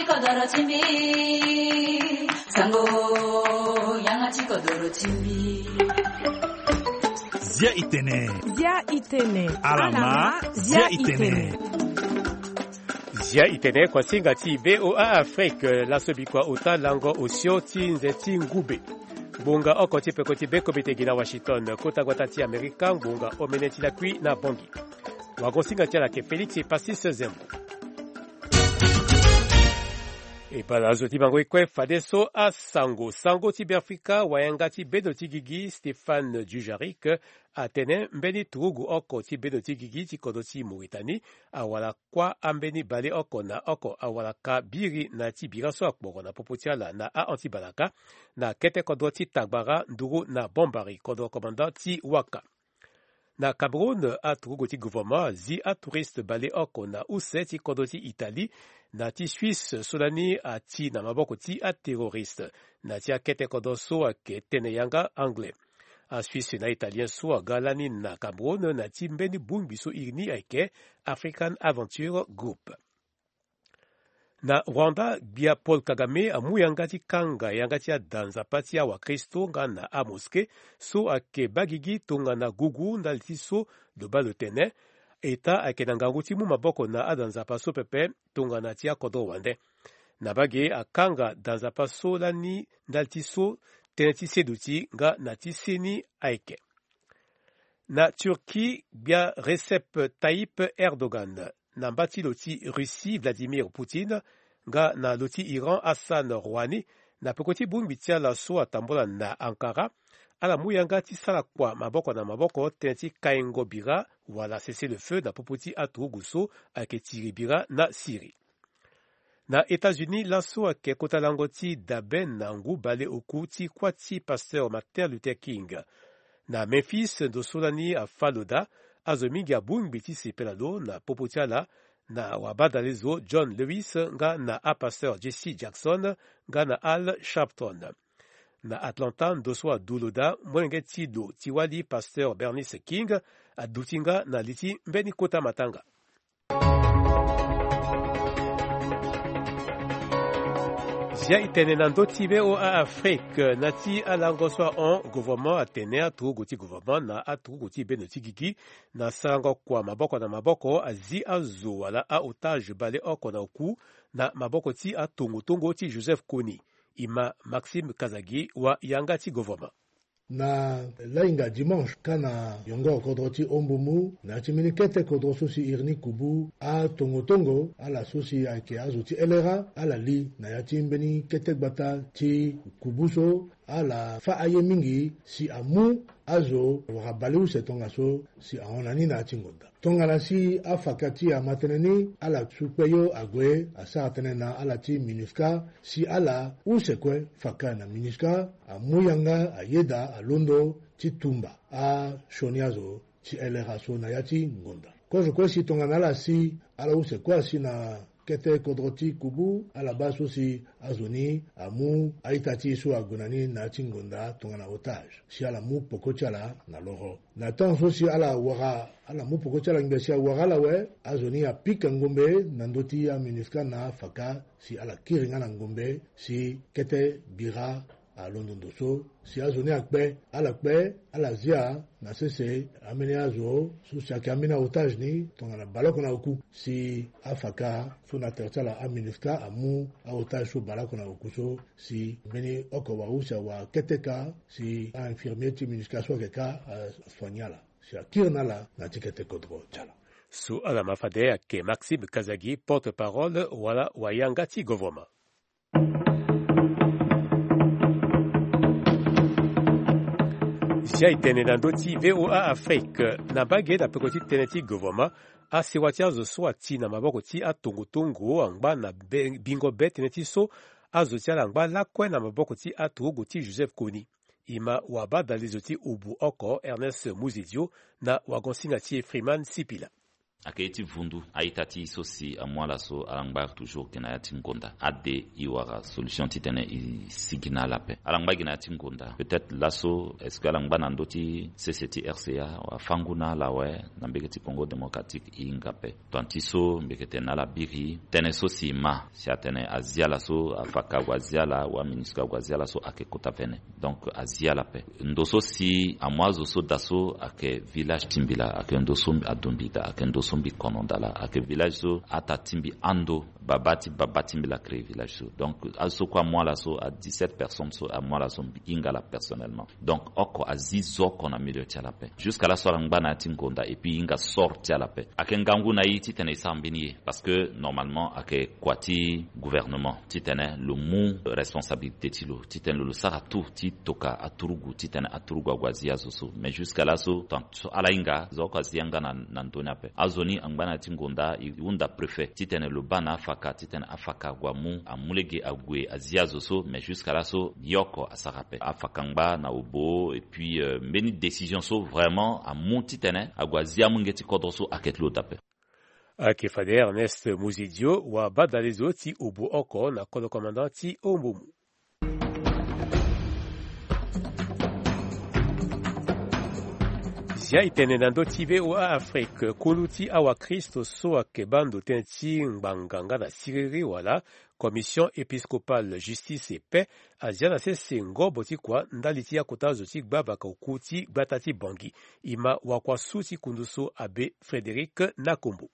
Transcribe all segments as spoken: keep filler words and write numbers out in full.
Kodoro ti mbi, sango, yanga ti kodoro ti mbi. Zia itene. Zia itene. Alama, zia itene. Zia itene, kuasinga ti VOA Afrique, laso bikua ota lango osio ti nze ti ngube. Ngbonga oko ti peko ti be komite gi na Washington, kota gbata ti Amerika, ngbonga omene ti lakui na Bongi. Wagosinga ti ala ke Félix Passis Zembo. E bala azo ti bango e kue fadeso asango. Sango ti Beafrika, wayanga ti bendo ti gigi Stéphane Dujarric atene mbeni turugu oko ti bendo ti gigi ti kodro ti Mauritanie awara kuâ ambeni baleoko na oko awara ka biri na ti bira so akporo na popo ti ala na ahon ti balaka, na kete kodro ti Tagbara nduru na Bombari, kodro commandant ti Waka. Na Cameroun, aturugu ti gouvernement azi atouriste baleoko na use ti kodro ti Italie na ti Suisse so lani ati na maboko ti aterroriste na ti akete kodro so ayeke tene yanga anglais. Asuisse na Italien so aga lani na Cameroun na ti mbeni bongbi so iri ni ayeke African Aventure Group. Na Rwanda, gbia Paul Kagame amu yanga ti kanga yanga ti ada nzapa ti awakristo nga na amoske so ayeke baa gigi tongana gugu ndali ti so lo baa lo tene. Eta ayeke na ngangu ti mu maboko na ada nzapa so pepe tongana ti akodro wande. Na bage akanga da nzapa so lani ndali ti so tënë ti seduti nga na ti seni ayeke. Na Turquie, gbia Recep Tayyip Erdogan, na mba ti lo ti Russie Vladimir Poutine, nga na lo ti Iran Hassan Rouhani, na peko ti bongbi ti ala so atambula na Ankara, ala mu yanga ti sara kua maboko na maboko tënë ti kaingo bira wala cessez-le-feu na popo ti aturugu so ayeke tiri bira na Syrie. Na États-Unis, laso ayeke kota lango ti dabe na ngu baleoku ti kuâ ti pasteur Martin Luther King. Na Memphis, ndo so lani afâ lo daa, azo mingi abongbi ti sepela lo na popo ti ala na wabadalezo John Lewis nga na apasteur Jesse Jackson nga na Al Sharpton. Na Atlanta, ndo so adu lo daa, molenge ti lo ti wali pasteur Bernice King aduti nga na li ti mbeni kota matanga. Zia e tene na ndö ti VOA Afrique na ti alango so ahon, gouvernement atene aturugu ti gouvernement na aturugu ti bendo ti gigi na sarango kua maboko na maboko azi azo wala a-otage baleoko na oku na maboko ti atongotongo ti Joseph Kony. E ma Maxime Kazadi wa yanga ti gouvernement. Na lahinga dimanche ka na yongoro kodro ti Ombumu na ya ti mbeni kete kodro so si iri ni kubu atongotongo ala so si ayeke azo ti L R A ala li na ya ti mbeni kete gbata ti kubu so ala fâ aye mingi si amu azo wara baleuse tongaso si ahon na ni na ya ti ngonda. Tongana si afaka ti ama tënë ni ala su kpe yo ague asara tënë na ala ti MINUSCA si ala use kue faka na MINUSCA amu yanga ayeda alondo ti tumba asioni azo ti L R A so na ya ti ngonda. Kozo kue si tongana ala si ala use kue asi na kete kodro ti kubu ala baa so si azo ni amu a-ita ti e so ague na ni na ya ti ngonda tongana otage si ala mu peko ti ala na loro. Na temps so si ala wara ala mu peko ti ala ngbe si awara ala awe, azo ni apika ngombe na ndö ti aMINUSCA na afaka si ala kiri nga na ngombe si kete bira alondo ndo so si azo ni akpe ala kpe ala zia na sese ambeni azo so si ayeke ambeni a-otage ni tongana baleoko na oku si afaka so na tere ti ala aMINUSCA amu a-otage so baleoko na oku so si mbeni oko wara use awa kete ka si a-infirmier ti MINUSCA so ayeke ka asoigner ala si akiri na ala na ti kete kodro ti ala. So ala ma fade ayeke Maxime Kazadi, porte-parole wala wayanga ti gouvernement. Zia e tene na ndö ti VOA Afrique na mbage na peko ti tënë ti gouvernement, asewa ti azo so ati na maboko ti atongotongo angba na be- bingo be tënë ti so azo ti ala angba lakue na maboko ti aturugu ti Joseph Kony. E ma wabadalezo ti obu oko Ernest Muzidio na wagonsinga ti e Freeman Sipila. Ayeke ye ti vundu a-ita ti e so si amu ala so ala ngba toujours gi na ya ti ngonda ade e wara solution titene e sigi na ala ape. Ala ngba gi na ya ti ngonda, peut-être laso est-ce que ala ngba na ndö ti sese ti rca wala fangu na ala awe? Na mbege ti Congo Démocratique e hinga ape. Tant ti so mbi yeke tene na ala biri tënë so si e ma si atene azi ala so afa ka ague azi ala wala MINUSCA ague azi ala so ayeke kota vene. Donc azi ala ape. Ndo so si amu azo so daa so ayeke village ti mbi laa, ayeke ndo so ado mbi daa, ayeke ndo so mbi kono daa laa, ayeke village so ata ti mbi ando, baba ti baba ti mbi laa créé village so. Donc azo so kue amu ala so, a dix-sept personnes so amu ala so, mbi hinga ala personnellement. Donc oko azi zo oko na milieu ti ala ape. Jusqu'à laso ala ngba na ya ti ngonda et puis e hinga sort ti ala ape. Ayeke ngangu na e titene e sara mbeni ye, parce que normalement ayeke kua ti gouvernement titene lo mu responsabilité ti lo titene lo sara tout ti toka aturugu titene aturugu ague azi azo so. Mais jusqu'à laso tant so ala hinga, zo oko azi yanga na, na ndö ni ape. Azo ni angba na ya ti ngonda, e hunda préfet titene lo baa na afa ka titene afa ka ague amu, amu lege ague azi azo so. Mais jusqu'à laso ye oko asara ape. Afa ka angba na Obo et puis, euh, mbeni décision so vraiment amu titene ague azi amolenge ti kodro so ayeke ti lo daa ape. Ayeke fade Ernest Muzedio, wabadale zo ti Obo oko na kodro commandant ti Ombomu. Zia e tene na ndö ti VOA Afrique, kulu ti awakristo so ayeke baa ndo tënë ti ngbanga nga na siriri wala Commission épiscopale justice et paix azia na sese ngobo ti kua ndali ti akota zo ti gbavaka oku ti gbata ti Bangui. E ma wakuasu ti kundu so abbé Frédéric Nakombo.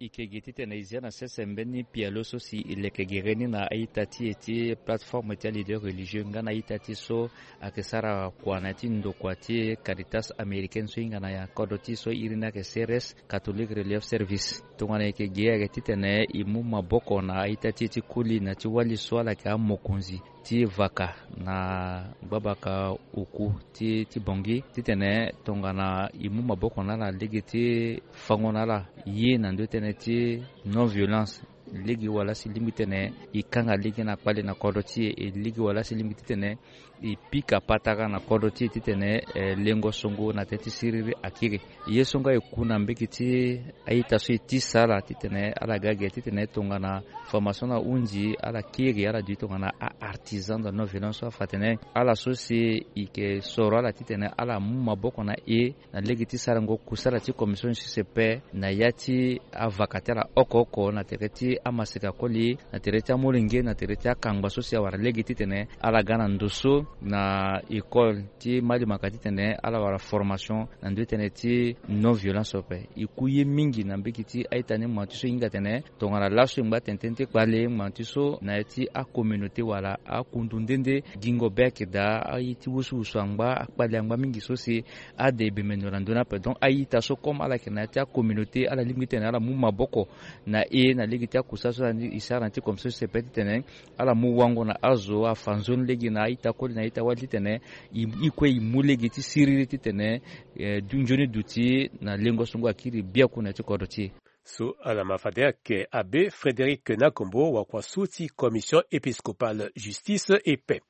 E ke gi titene e zia na sese mbeni pialo so si e leke gere ni na a-ita ti e ti plateforme ti aleader religieux nga na a-ita ti e so ayeke sara kua na ya ti ndokua ti Caritas américaine so e hinga na kodro ti e so iri ni ayeke C R S, Catholic Relief Service. Tongana e yeke gi ayeke titene e mu maboko na a-ita ti e ti koli na ti wali so ala yeke amokonzi ti vaka na gbabaka oku ti, ti Bangui titene tongana e mu maboko na ala lege ti fango na ala ye na ndö tënë ti non violence. Lege wala si lingbi tene e kanga lege na kpale na kodro ti e, e lege wala si lingbi titene e pika patara na kodro ti e titene, eh, lengo songo na tënë ti siriri akiri. Ye so nga e ku na mbege ti a-ita so e tisa ala titene ala ga ge titene tongana formation na hunzi ala kiri ala duti tongana a-artisan de la non violence so afa atene ala so si e yeke soro ala titene ala mu maboko na e na lege ti sarango kusala ti commission justice et paix na ya ti avaka ti ala oko oko na tere ti amaseka koli, na tere ti amolenge, na tere ti akangba so si awara lege titene ala ga na ndo so na école ti malimaka titene ala wara formation na ndö ti tënë ti non violence ape. E ku ye mingi na mbege ti a-ita ni, ngbango ti so e hinga atene tongana laso e ngba tene tënë ti kpale, ngbango ti so na ya ti acommunauté wala akundu nde nde gingo be ayeke daa, aye ti wusuwusu angba, akpale angba mingi so si ade e bembe ndo na ndö ni ape. Donc a-ita so comme ala yeke na ya ti acommunauté, ala lingbi titene ala mu maboko na e na lege ti akusala so e sara na ya ti commission justice et paix titene ala mu wango na azo afa nzoni lege na a-ita koli na a-ita wali titene e, e kue e mu lege ti siriri titene, eh, du nzoni duti na lengo songo akiri biaku na ya ti kodro ti e. So ala ma fade ayeke abbé Frédéric Nakombo, wakuasu ti Commission épiscopale justice et paix.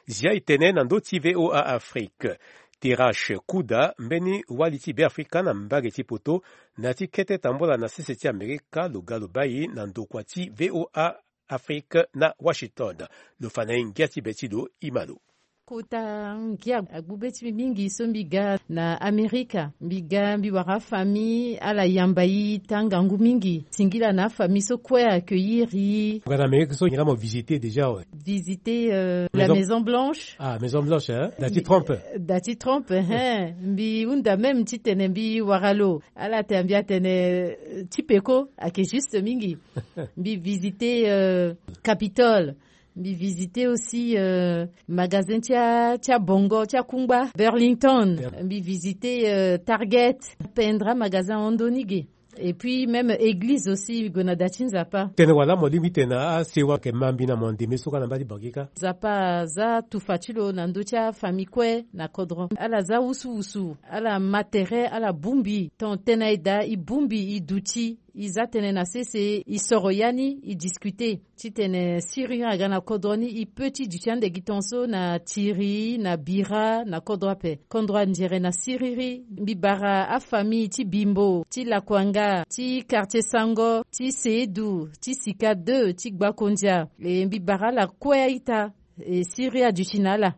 Zia e tene na ndö ti VOA Afrique. Tirache Kuda, mbeni wali ti Beafrika na mbage ti poto, na ya ti kete tambola na sese ti Amerika, lo ga lo bai na ndokua ti VOA Afrique na Washington. Lo fa na e ngia ti be ti lo, e ma lo. Kota ngia agbu be ti mbi mingi so mbi ga na Amerika. Mbi ga, mbi wara afamille, ala yamba e taa ngangu mingi. Singila na afamille so kue accueillir e. Nga na Amerika so, ngira mo visiter déjà, ouais. Visiter, euh, la Maison Blanche. Ah, Maison Blanche, hein? Da ti Trump. Da ti Trump, hein. Mbi hunda même titene mbi wara lo. Ala tene mbi atene, euh, ti peko, ayeke juste mingi. Mbi visiter, euh, Capitole. Mbi visiter aussi, euh, magasin ti a, ti abongo, ti akungba, Burlington. Mbi visiter, euh, Target. Pendra magasin ahon ndoni ge. Et puis même église aussi, mbi gue na da ti Nzapa. Tene wala mo lingbi tene asewa ayeke ma mbi na mo ndeme so kâ na mbage ti Bangui kâ. Nzapa aza tufa ti lo na ndö ti afamille kue na kodro. Ala za wusuwusu, ala ma tere, ala bongbi. Ton tene aye daa, e bongbi, e duti. E za tënë na sese, e soro ya ni, e discuter titene siriri aga na kodro ni, e peut ti duti ande gi tongaso na tiri, na bira, na kodro ape. Kodro anzere na siriri, mbi bara afamille ti Bimbo, ti Lakuanga, ti Quartier Sango, ti Seedu, ti Sika deux, ti Gbakondia. E mbi bara ala kue a-ita, e siriri aduti na ala.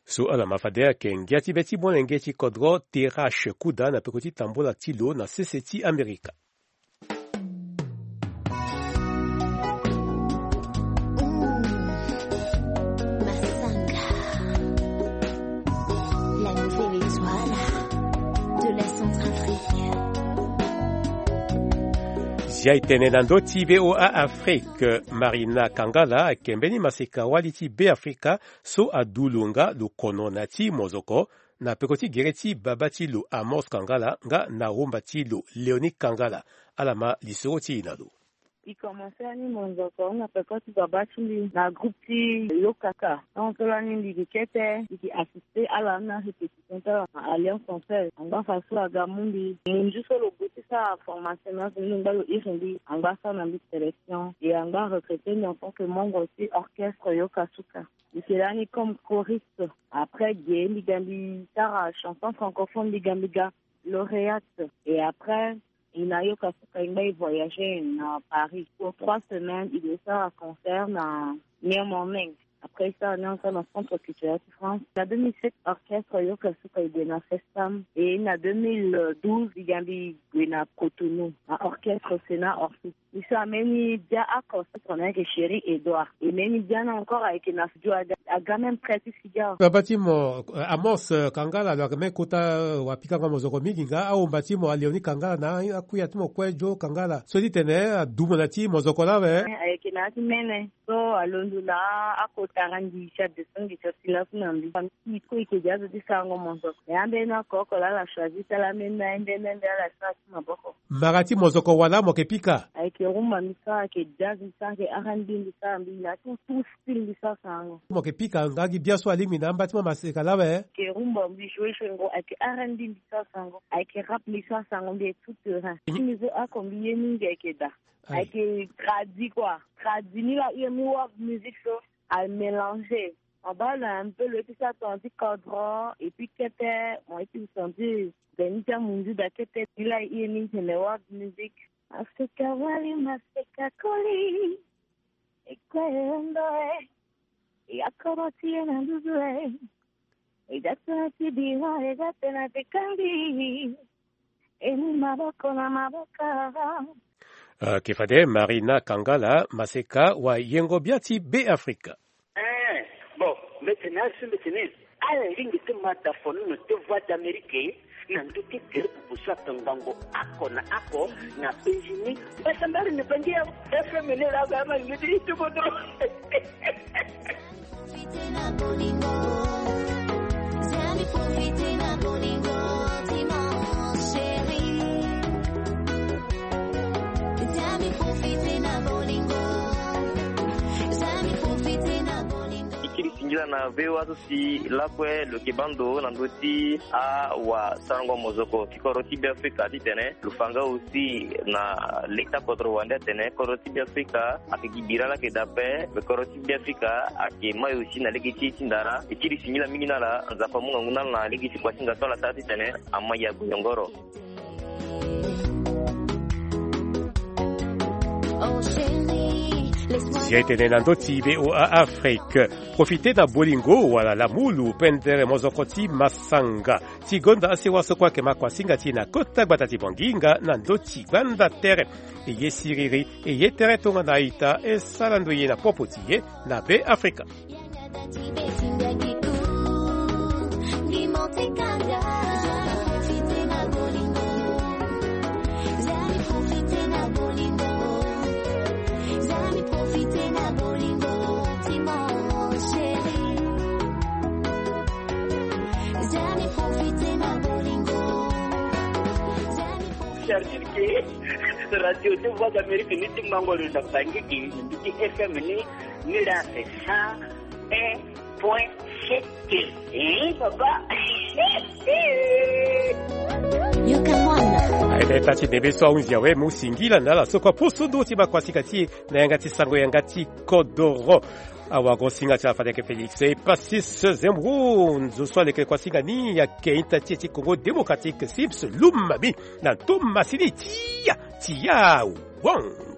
So ala ma fade ayeke ngia ti be ti molenge ti kodro Terrache Kuda na peko ti tambola ti lo na sese ti Amerika. Massanga, la nouvelle étoile de la Centrafrique. Zia e tene na ndö ti V O A Afrique, Marina Kangala ayeke mbeni maseka-wali ti Beafrika so adu lo nga lo kono na ya ti mozoko, na peko ti gere ti baba ti lo Amos Kangala nga na womba ti lo Léonie Kangala. Ala ma lisoro ti e na lo. E komanse lani mozoko na peko ti baba ti mbi na groupe ti Yokaka. Tongaso lani mbi yeke kete, mbi yeke assister ala na répétition ti ala na Alliance Française. Angba faso aga mu mbi. Munzu so lo gue ti sara formation na azo ni, angba lo iri mbi, angba asara na mbi sélection. E angba arecruter mbi en tant que membre ti orchestre Yokasuka. Mbi yeke lani comme choriste. Après ge mbi ga mbi sara chanson francophone, mbi ga mbi ga lauréate. Et après, e na Yokasuka e ngba e voyager na Paris pour trois semaines, e gue sara concert na New Morning. Après, e sara ni encore na Centre Culturel ti France. Na deux mille sept, orchestre Yokasuka e gue na Festam. Et na deux mille douze, e ga mbi gue na Cotonou, na orchestre Sénat Orpheus. E sara mbeni bia oko, orchestre na yeke Chéri Edouard. E mbeni bia ni encore ayeke na studio, aga, aga même près ti studio. Baba ti mo, euh, Amos, euh, Kangala, lo yeke même kota, euh, wapikango mozoko mingi nga, awomba ti mo Léonie Kangala na akuya ti mo kue Joe Kangala. So ti tene adu mo na ya ti mozoko lawe. Eh, ayeke na ya ti mene. So alondo laa akota randi ti adeso ngi ti asi laso na mbi. Famille ti e kue e yeke de azo ti sarango mozoko. E ambeni oko oko laa ala choisir ti ala ambeni ambeni ambeni ala sara ti maboko. Mbara ti mozoko wala mo yeke pika? Ayeke rumba mbi sara, ayeke jazz mbi sara, ayeke R and B mbi sara, mbi na tout, tout style mbi sara sarango. Mo yeke pika nga gi bia so alingbi na amba ti mo maseka lawe? Ayeke rumba mbi joue joue ngo, ayeke R and B mbi sara sarango, ayeke rap mbi sara sarango, mbi est tout terrain. Mhm. Ti mbi so oko mbi ye mingi ayeke da. Aye. Ayeke tradi quoi. Tradi ni la iri ni world music so a mélanger. Mo baa lo un peu lo ye ti sara tonga ti kodro, et puis kete mo ye ti sentir gbe ni ti amunzu da kete. Ni la e iri ni tene world music. Maseka wali, maseka koli. E kue e hon ndo e. E akoro ti e na nduzu e. E da tënë ti bira, e da tënë ti kangi. E mu maboko na maboko. Ah, yeke fade Marina Kangala, maseka wayengo bia ti Beafrika. Eh, bon, mbi tene azo mbi tene ala lingbi ti ma dafono na ti Voix d'Amérique na ndö ti gere pupu so atongbango oko na oko na penzi ni. Mbasambari na bangi ya F M ni la ba ma ngi ti tubo dro. E kiri singila na V O A so si lakue lo yeke baa ndo na ndö ti awasarango mozoko ti kodro ti Beafrika titene lo fa nga aussi na leta kodro wande atene kodro ti Beafrika ayeke gi bira laa ayeke daa ape, me kodro ti Beafrika ayeke mai aussi na lege ti e ti ndara. E kiri singila mingi na ala, Nzapa amu ngangu na ala na lege ti kuasinga so ala sara titene amai ague yongoro. Zia e tene na ndö ti V O A Afrique. Profite na bolingo wala lamulu pendere mozoko ti masanga. Ti gonda asewa so kue ayeke ma kuasinga ti e na kota gbata ti Bangui nga na ndö ti gbanda tere. E ye siriri, e ye tere tongana a-ita, e sara ndoye na popo ti e na Beafrika. C'est-à-dire que radio ti Voix d'Amérique ni ti mango lo na Bangui, ni ti F M ni, ni la c'est cent un point sept. Eh, papa. Yoka mwana. Aita ti ndembe so ahunzi awe mu singila na ala so kua poso ndo ti makuasinga ti e na yanga ti sango yanga ti kodoro. Awago singa ti ala fade yeke Félix Epasis Zemro, nzo so aleke kuasinga ni ayeke ita ti e ti Congo Démocratique, Sims Lumami, na nto masini tia tia wang.